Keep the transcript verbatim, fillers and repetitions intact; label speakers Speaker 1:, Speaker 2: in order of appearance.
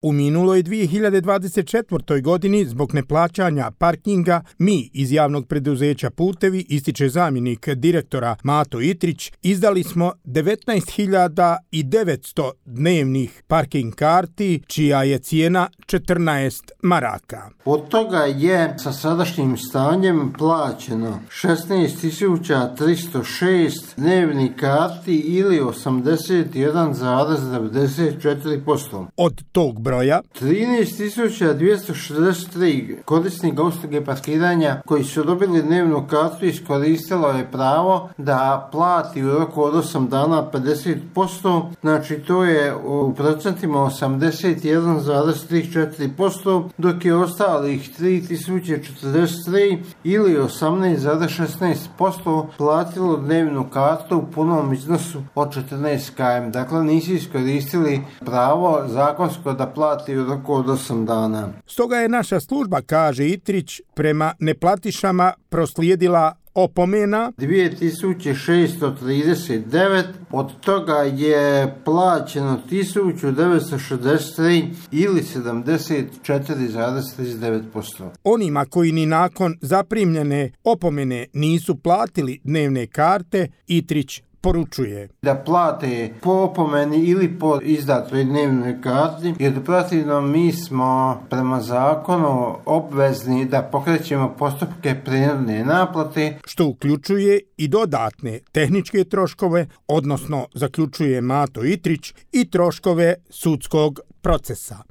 Speaker 1: U minuloj dvije hiljade dvadeset četvrtoj. godini zbog neplaćanja parkinga mi iz javnog preduzeća Putevi, ističe zamjenik direktora Mato Itrić, izdali smo devetnaest hiljada devetsto dnevnih parking karti, čija je cijena četrnaest maraka.
Speaker 2: Od toga je sa sadašnjim stanjem plaćeno šesnaest tisuća tristo šest dnevnih karti ili osamdeset jedan zarez devedeset četiri posto.
Speaker 1: Od tog broja
Speaker 2: trinaest tisuća dvjesto šezdeset tri korisnika usluge parkiranja koji su dobili dnevnu kartu iskoristilo je pravo da plati u roku od osam dana pedeset posto, znači to je u procentima osamdeset jedan zarez trideset četiri posto, dok je ostalih tri tisuće četrdeset tri ili osamnaest zarez šesnaest posto platilo dnevnu kartu u punom iznosu od četrnaest kilometara. Dakle, nisu iskoristili pravo zakonsko da plati u roku od osam dana.
Speaker 1: Stoga je naša služba, kaže Itrić, prema neplatišama proslijedila opomena
Speaker 2: dvije tisuće šesto trideset devet, od toga je plaćeno tisuću devetsto šezdeset tri ili sedamdeset četiri zarez trideset devet posto.
Speaker 1: Onima koji ni nakon zaprimljene opomene nisu platili dnevne karte, Itrić poručuje
Speaker 2: da plate po opomeni ili po izdatoj dnevnoj karti, jer protivno mi smo prema zakonu obvezni da pokrećemo postupke prinudne naplate,
Speaker 1: što uključuje i dodatne tehničke troškove, odnosno zaključuje Mato Itrić, i troškove sudskog procesa.